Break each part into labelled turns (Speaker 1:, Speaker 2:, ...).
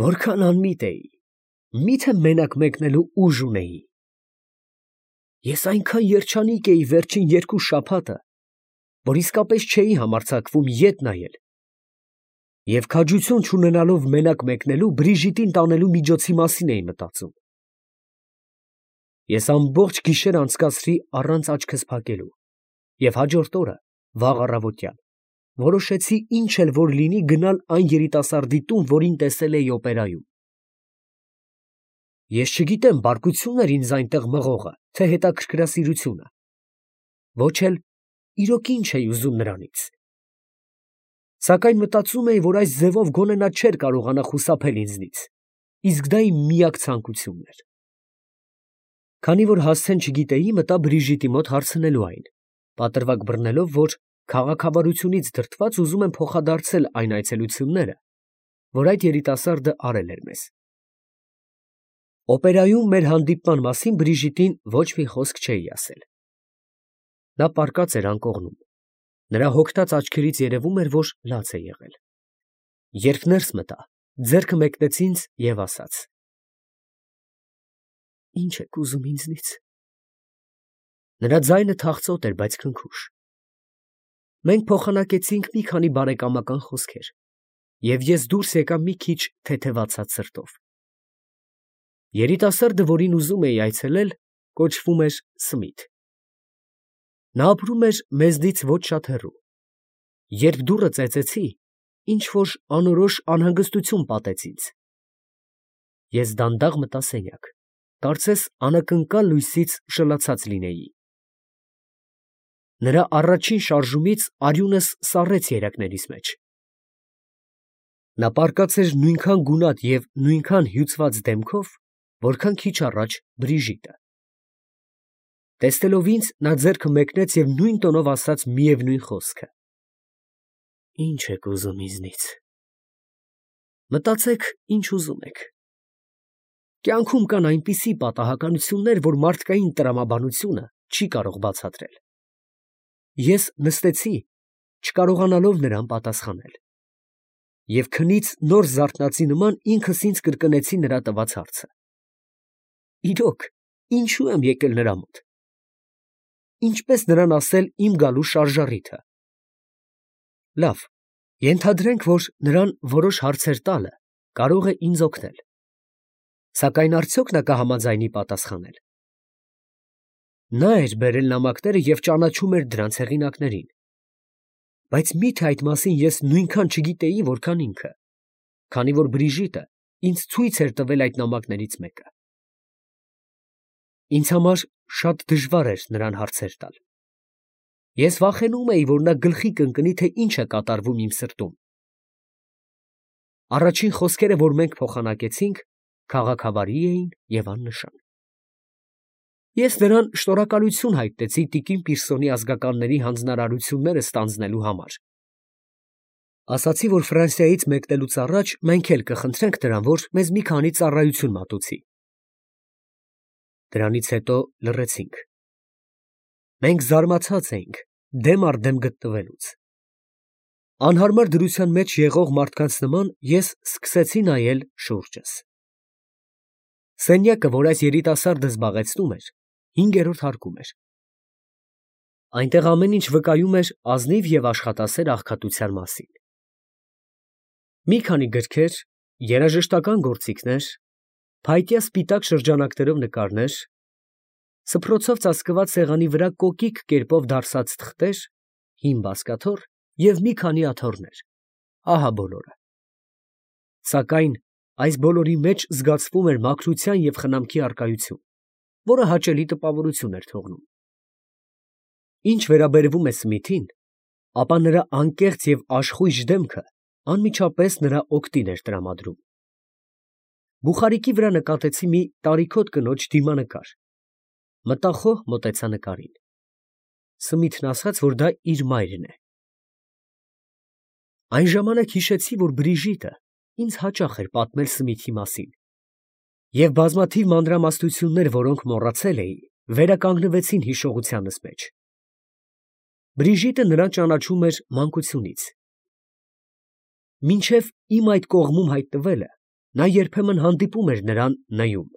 Speaker 1: Որքան անմիտ էի, միթե մենակ մեկնելու ուժ ունեի։ Ես այնքան երջանիկ էի վերջին 2 շաբաթը, որ իսկապես չէի համարձակվում ետ նայել, և քաջություն չունենալով մենակ մեկնելու, Բրիժիտին տանելու միջոցի մասին էի մտածում։ Ես ամբողջ գիշեր անցկացրի առանց աչքս փակելու, և հաջորդ օրը, վաղ առավոտյան, որոշեցի ինչ էլ որ լինի գնալ այն երիտասարդի տուն, որին տեսել էի օպերայում։ Ես չգիտեմ բարկությունն էր ինձ այնտեղ մղողը, թե հետաքրքրասիրությունը, ոչ էլ իրոք ինչ էի ուզում նրանից, սակայն մտածում էի, որ այս ձևով գոնե նա չէր կարողանա խուսափել ինձնից, իսկ դա իմ միակ ցանկությունն էր։ Քանի որ հասցեն չգիտեի, մտա Բրիժիտի մոտ հարցնելու այն, պատրվակ բռնելով, որ քաղաքավարությունից դրդված ուզում եմ փոխադարձել այն այցելությունները, որ այդ երիտասարդը արել էր մեզ։ Օպերայում մեր հանդիպման մասին Բրիժիտին ոչ մի խոսք չէի ասել։ Նա պառկած էր անկողնում, նրա հոգտած աչքերից երևում էր, որ լաց է եղել։ Երբ ներս մտա, ձեռքը մեկնեց ինձ և ասաց. «Ինչ եք ուզում ինձնից»։ Նրա ձայնը թախծոտ էր, բայց քնքուշ։ Մենք փոխանակեցինք մի քանի բարեկամական խոսքեր, և ես դուրս եկա մի քիչ թեթևացած սրտով։ Երիտասարդը, որին ուզում էի այցելել, կոչվում էր Սմիթ։ Նա ապրում էր մեզնից ոչ շատ հեռու։ Երբ դուռը ծեծեցի, ինչ֊որ անորոշ անհանգստություն պատեց ինձ։ Ես դանդաղ մտա սենյակ, կարծես անակնկալ լույսից շլացած լինեի։ Նրա առաջին շարժումից արյունս սառեց երակներիս մեջ։ Նա պառկած էր նույնքան գունատ և նույնքան հյուծված դեմքով, որքան քիչ առաջ Բրիժիտը։ Տեսնելով ինձ, նա ձեռքը մեկնեց և նույն տոնով ասաց միևնույն խոսքը. «Ինչ եք ուզում ինձնից»։ Մտածեք, ինչ ուզում եք։ Կյանքում կան այնպիսի պատահականություններ, որ մարդկային տրամաբանությունը չի կարող բացատրել։ Ես նստեցի, չկարողանալով նրան պատասխանել, և քնից նոր զարթնածի նման ինքս ինձ կրկնեցի նրա տված հարցը. իրոք, ինչո՞ւ եմ եկել նրա մոտ։ Ինչպես նրան ասել իմ գալու շարժառիթը։ Լավ, ենթադրենք, որ նրան որոշ հարցեր տալը կարող է ինձ օգնել, սակայն արդյոք նա կհամաձայնի պատասխանել։ Նա էր բերել նամակները և ճանաչում էր դրանց հեղինակներին, բայց մի՞թե այդ մասին ես նույնքան չգիտեի, որքան ինքը, քանի որ Բրիժիտը ինձ ցույց էր տվել այդ նամակներից մեկը։ Ինձ համար շատ դժվար էր նրան հարցեր տալ։ Ես վախենում էի, որ նա գլխի կընկնի, թե ինչ է կատարվում իմ սրտում։ Առաջին խոսքերը, որ մենք փոխանակեցինք, քաղաքավարի էին և աննշան։ Ես նրան շնորհակալություն հայտնեցի տիկին Պիրսոնի ազգականների հանձնարարությունները ստանձնելու համար։ Ասացի, որ Ֆրանսիայից մեկնելուց առաջ մենք էլ կխնդրենք նրան, որ մեզ մի քանի ծառայություն մատուցի։ Դրանից հետո լռեցինք։ Մենք զարմացած էինք դեմ առ դեմ գտնվելուց։ Անհարմար դրության մեջ եղող մարդկանց նման ես սկսեցի նայել շուրջս։ Սենյակը, որ այս երիտասարդը զբաղեցնում էր, 5-րդ հարկում էր։ Այնտեղ ամեն ինչ վկայում էր ազնիվ և աշխատասեր աղքատության մասին։ Մի քանի գրքեր, երաժշտական գործիքներ, փայտյա սպիտակ շրջանակներով նկարներ, սփռոցով ծածկված սեղանի վրա կոկիկ կերպով դարսած թղթեր, հին բազկաթոռ և մի քանի աթոռներ, ահա բոլորը։ Սակայն այս բոլորի մեջ զգացվում էր մաքրության և խնամքի առկայություն, որը հաճելի տպավորություն էր թողնում։ Ինչ վերաբերում է Սմիթին, ապա նրա անկեղծ և աշխույժ դեմքը անմիջապես նրա օգտին էր տրամադրում։ Բուխարիկի վրա նկատեցի մի տարիքոտ կնոջ դիմանկար, մտախոհ մոտեցա նկարին։ Սմիթն ասաց, որ դա իր մայրն է։ Այն ժամանակ հիշեցի, որ Բրիժիտը ինձ հաճախ էր պատմել Սմիթի մասին, և բազմաթիվ մանրամասնություններ, որոնք մոռացել էի, վերականգնվեցին հիշողությանս մեջ։ Բրիժիտը նրան ճանաչում էր մանկությունից։ Մինչև իմ այդ կողմում հայտնվելը, նա երբեմն հանդիպում էր նրան նայում,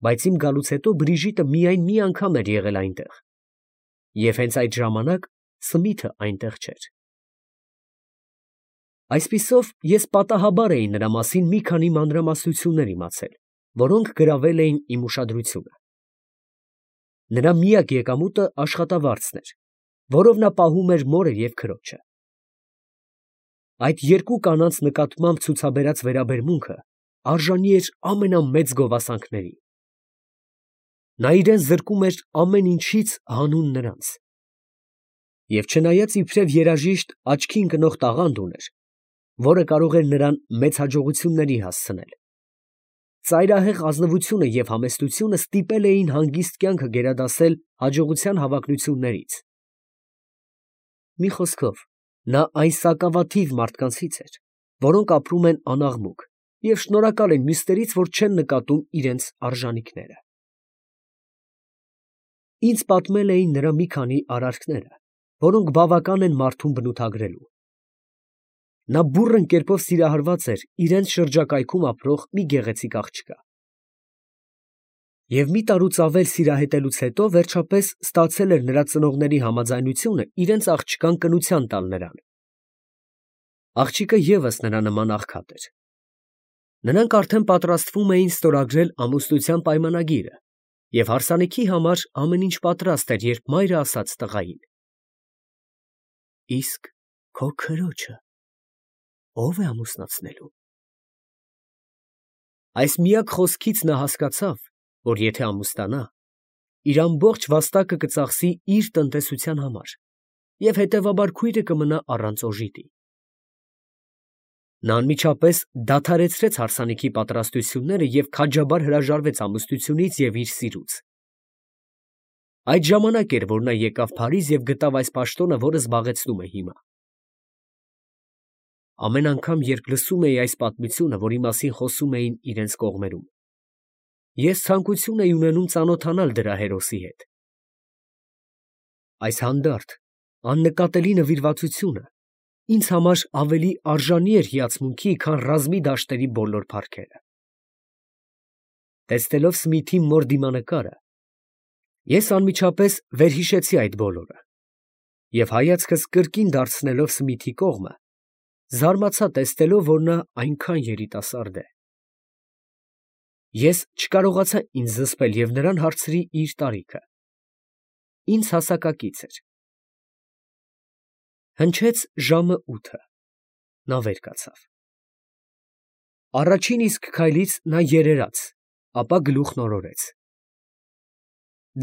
Speaker 1: բայց իմ գալուց հետո Բրիժիտը միայն մի անգամ էր եղել այնտեղ, և հենց այդ ժամանակ Սմիթը այնտեղ չէր։ Այսպիսով ես պատահաբար էի նրա մասին մի քանի մանրամասնություններ իմացել, որոնք գրավել էին իմ ուշադրությունը։ Նրա միակ եկամուտը աշխատավարձն էր, որով նա պահում էր մորը և քրոջը։ Այդ երկու կանանց նկատմամբ ցուցաբերած վերաբերմունքը արժանի էր ամենամեծ գովասանքների։ Նա իրան զրկում էր ամեն ինչից հանուն նրանց։ Եվ չնայած իբրև երաժիշտ աչքի ընկնող տաղանդ ուներ, որը կարող էր նրան մեծ հաջողությունների հասցնել, ծայրահեղ ազնվությունը և համեստությունը ստիպել էին հանգիստ կյանքը գերադասել հաջողության հավակնություններից։ Մի խոսքով, նա այն սակավաթիվ մարդկանցից էր, որոնք ապրում են անաղմուկ և շնորհակալ են մյուսներից, որ չեն նկատում իրենց արժանիքները։ Ինձ պատմել էին նրա մի քանի արարքները, որոնք բավական են մարդուն բնութագրելու։ Նա բուռն կերպով սիրահարված էր իրենց շրջակայքում ապրող մի գեղեցիկ աղջկա։ Եվ մի տարուց ավել սիրահետելուց հետո վերջապես ստացել էր նրա ծնողների համաձայնությունը իրենց աղջկան կնության տալ նրան։ Աղջիկը ևս նրա նման աղքատ էր։ Նրանք արդեն պատրաստվում էին ստորագրել ամուսնության պայմանագիրը, և հարսանիքի համար ամեն ինչ պատրաստ էր, երբ մայրը ասաց տղային. «Իսկ քո քրոջը ո՞վ է ամուսնացնելու»։ Այս միակ խոսքից նա հասկացավ, որ եթե ամուսնանա, իր ամբողջ վաստակը կծախսի իր տնտեսության համար և հետևաբար քույրը կմնա առանց օժիտի։ Նա անմիջապես դադարեցրեց հարսանիքի պատրաստությունները և քաջաբար հրաժարվեց ամուսնությունից և իր սիրուց։ Այդ ժամանակ էր, որ նա եկավ Փարիզ և գտավ այս պաշտոնը, որը զբաղեցնում է հիմա։ Ամեն անգամ, երբ լսում էի այս պատմությունը, որի մասին խոսում էին իրենց կողմերում, ես ցանկություն էի ունենում ծանոթանալ դրա հերոսի հետ։ Այս հանդարտ, աննկատելի նվիրվածությունը ինձ համար ավելի արժանի էր հիացմունքի, քան ռազմի դաշտերի բոլոր փառքերը։ Տեսնելով Սմիթի մոր դիմանկարը, ես անմիջապես վերհիշեցի այդ բոլորը և հայացքս կրկին դարձնելով Սմիթի կողմը, զարմացա տեսնելով, որ նա այնքան երիտասարդ է։ Ես չկարողացա ինձ զսպել և նրան հարցրի իր տարիքը։ Ինձ հասակակից էր։ Հնչեց ժամը 8. Նա վեր կացավ։ Առաջին իսկ քայլից նա երերաց, ապա գլուխն օրորեց։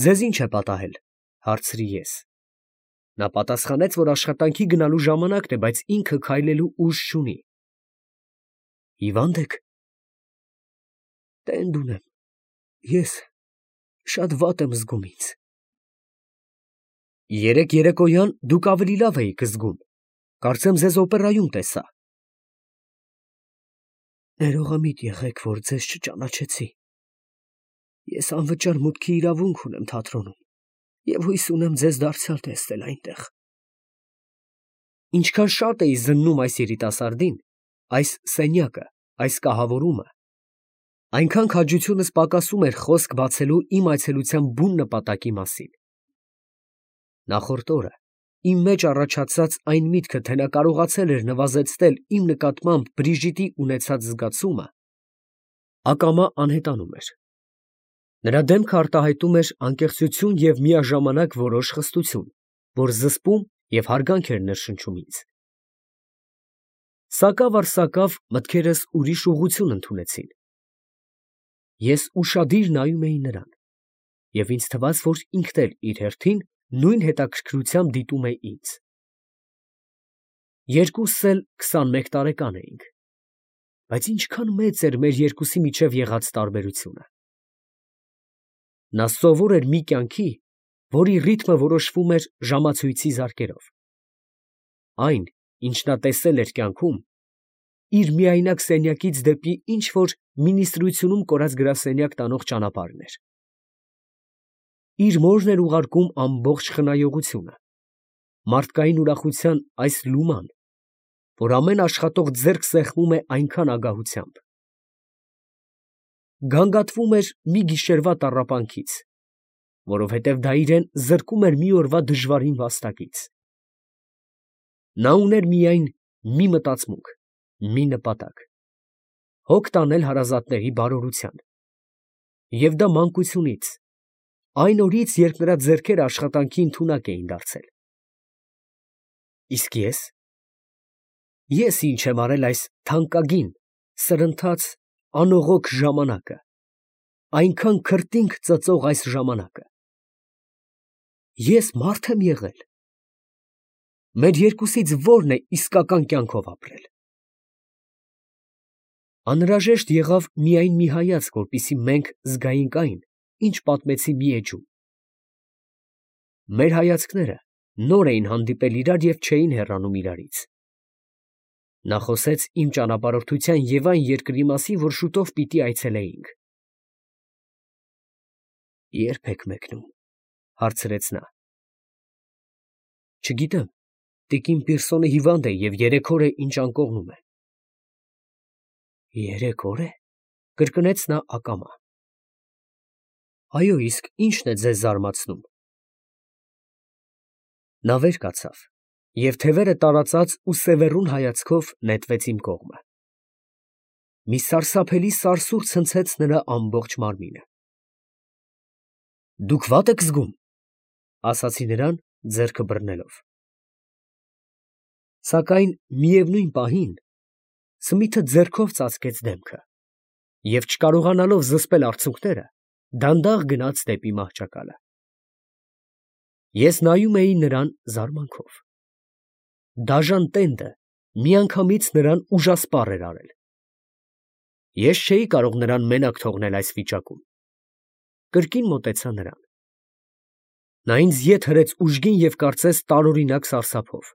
Speaker 1: «Ձեզ ի՞նչ է պատահել», հարցրի ես։ Նա պատասխանեց, որ աշխատանքի գնալու ժամանակն է, բայց ինքը քայլելու ուժ չունի։ «Հիվա՞նդ եք»։ «Տենդ ունեմ, ես շատ վատ եմ զգում ինձ»։ «Երեկ երեկոյան դուք ավելի լավ էիք զգում, կարծեմ ձեզ օպերայում տեսա»։ «Ներողամիտ եղեք, որ ձեզ չճանաչեցի։ Ես անվճար մուտքի իրավունք ունեմ թատրոնում և հույս ունեմ ձեզ դարձյալ տեսնել այնտեղ»։ Ինչքան շատ էի զննում այս երիտասարդին, այս սենյակը, այս կահավորումը, այնքան քաջությունս պակասում էր խոսք բացելու իմ այցելության բուն նպատակի մասին։ Նախորդ օրը իմ մեջ առաջացած այն միտքը, թե նա կարողացել էր նվազեցնել իմ նկատմամբ Բրիժիտի ունեցած զգացումը, ակամա անհետանում էր։ Նրա դեմքը արտահայտում էր անկեղծություն և միաժամանակ որոշ խստություն, որ զսպում և հարգանք էր ներշնչում ինձ։ Սակավ առ սակավ մտքերս ուրիշ ուղղություն ընդունեցին։ Ես ուշադիր նայում էի նրան, և ինձ թվաց, որ ինքն էլ իր հերթին նույն հետաքրքրությամբ դիտում է ինձ։ Երկուսս էլ 21 տարեկան էինք, բայց ինչքան մեծ էր մեր երկուսի միջև եղած տարբերությունը։ Նա սովոր էր մի կյանքի, որի ռիթմը որոշվում էր ժամացույցի զարկերով։ Այն, ինչ նա տեսել էր կյանքում, իր միայնակ սենյակից դեպի ինչ֊որ մինիստրությունում կորած գրասենյակ տանող ճանապարհն էր։ Իր մորն էր ուղարկում ամբողջ խնայողությունը, մարդկային ուրախության այս լուման, որ ամեն աշխատող ձեռք սեղմում է այնքան ագահությամբ։ գանգատվում էր մի գիշերվա տառապանքից, որովհետև դա իրեն զրկում էր մի օրվա դժվարին վաստակից։ Նա ուներ միայն մի մտածմունք, մի նպատակ՝ հոգ տանել հարազատների բարօրության, և դա մանկությունից, այն օրից, երբ նրա ձեռքերը աշխատանքի ընդունակ էին դարձել։ Իսկ ես ինչ եմ արել այս թանկագին, սրընթաց, անողոք ժամանակը, այնքան քրտինք ծծող այս ժամանակը։ Ես մարդ եմ եղել։ Մեր երկուսից ո՞րն է իսկական կյանքով ապրել։ Անհրաժեշտ եղավ միայն մի հայացք, որպեսզի մենք զգայինք այն, ինչ պատմեցի մի էջում։ Մեր հայացքները նոր էին հանդիպել իրար և չէին հեռանում իրարից։ Նա խոսեց իմ ճանապարհորդության և այն երկրի մասին, որ շուտով պիտի այցելեինք։ Ե՞րբ եք մեկնում, հարցրեց նա։ Չգիտեմ, տիկին Պիրսոնը հիվանդ է և 3 օր է, ինչ անկողնում է։ 3 օր է, կրկնեց նա ակամա։ Այո, իսկ ի՞նչն է ձեզ զարմացնում։ Նա վեր կացավ և թևերը տարածած ու սևեռուն հայացքով նետվեց իմ կողմը։ Մի սարսափելի սարսուռ ցնցեց նրա ամբողջ մարմինը։ Դուք վատ եք զգում, ասացի նրան, ձեռքը բռնելով։ Սակայն միևնույն պահին Սմիթը ձեռքով ծածկեց դեմքը և, չկարողանալով զսպել արցունքները, դանդաղ գնաց դեպի մահճակալը։ Ես նայում էի նրան զարմանքով։ Դաժան տենդը միանգամից նրան ուժասպառ էր արել։ Ես չէի կարող նրան մենակ թողնել այս վիճակում։ Կրկին մոտեցա նրան։ Նա ինձ ետ հրեց ուժգին և կարծես տարօրինակ սարսափով։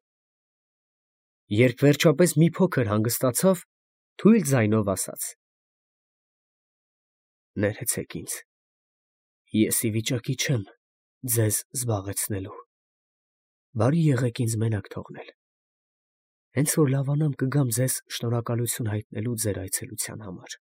Speaker 1: Երբ վերջապես մի փոքր հանգստացավ, թույլ ձայնով ասաց. Ներեցեք ինձ, ես ի վիճակի չեմ ձեզ զբաղեցնելու, բարի եղեք ինձ մենակ թողնել, հենց որ լավանամ կգամ ձեզ շնորհակալություն հայտնելու ձեր այցելության համար։